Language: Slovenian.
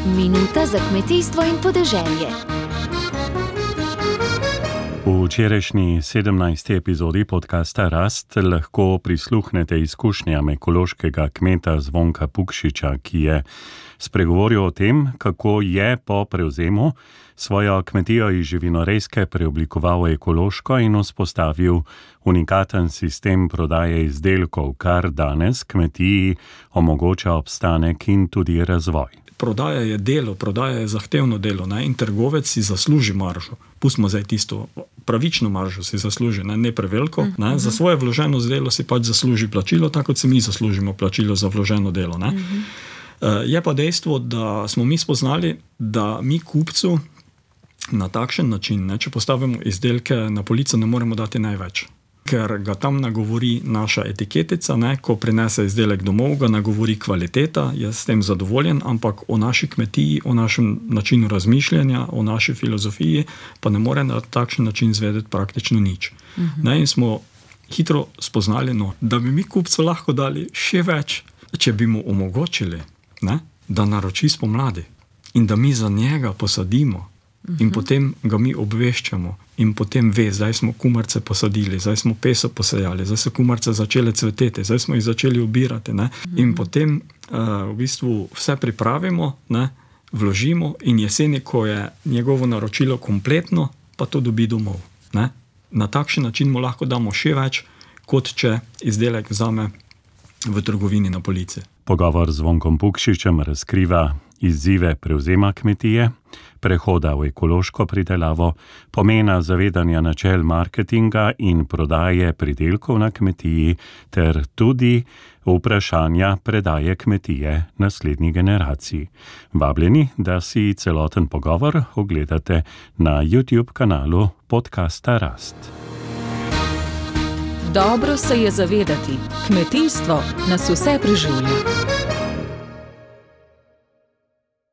Minuta za kmetijstvo in podeželje. V včerajšnji 17. epizodi podcasta Rast lahko prisluhnete izkušnjam ekološkega kmeta Zvonka Pukšiča, ki je spregovoril o tem, kako je po prevzemu svojo kmetijo iz živinorejske preoblikoval v ekološko in vzpostavil unikaten sistem prodaje izdelkov, kar danes kmetiji omogoča obstanek in tudi razvoj. Prodaja je delo, prodaja je zahtevno delo, ne? In trgovec si zasluži maržo. Pustimo zdaj tisto pravično maržo si zasluži, ne preveliko. Ne? Za svoje vloženo delo si pač zasluži plačilo, tako kot si mi zaslužimo plačilo za vloženo delo. Ne? Je pa dejstvo, da smo mi spoznali, da mi kupcu na takšen način, ne, če postavimo izdelke na polico, ne moremo dati največ. Ker ga tam nagovori naša etiketica, ne, ko prinese izdelek domov, ga nagovori kvaliteta, je s tem zadovoljen, ampak o naši kmetiji, o našem načinu razmišljanja, o naši filozofiji, pa ne more na takšen način zvedeti praktično nič. Ne, in smo hitro spoznali, da bi mi kupcu lahko dali še več, če bi mu omogočili, ne, da naroči spomladi in da mi za njega posadimo. In potem ga mi obveščamo in potem ve, zdaj smo kumarce posadili, zdaj smo peso posejali, zdaj so kumarce začele cveteti, zdaj smo jih začeli obirati. Ne? In potem v bistvu vse pripravimo, ne? Vložimo in jeseni, ko je njegovo naročilo kompletno, pa to dobi domov. Ne? Na takšen način mu lahko damo še več, kot če izdelek vzame v trgovini na polici. Pogovor z Zvonkom Pukšičem razkriva izzive prevzema kmetije, prehoda v ekološko pridelavo, pomena zavedanja načel marketinga in prodaje pridelkov na kmetiji ter tudi vprašanja predaje kmetije naslednji generaciji. Vabljeni, da si celoten pogovor ogledate na YouTube kanalu podcasta Rast. Dobro se je zavedati, kmetijstvo nas vse preživlja.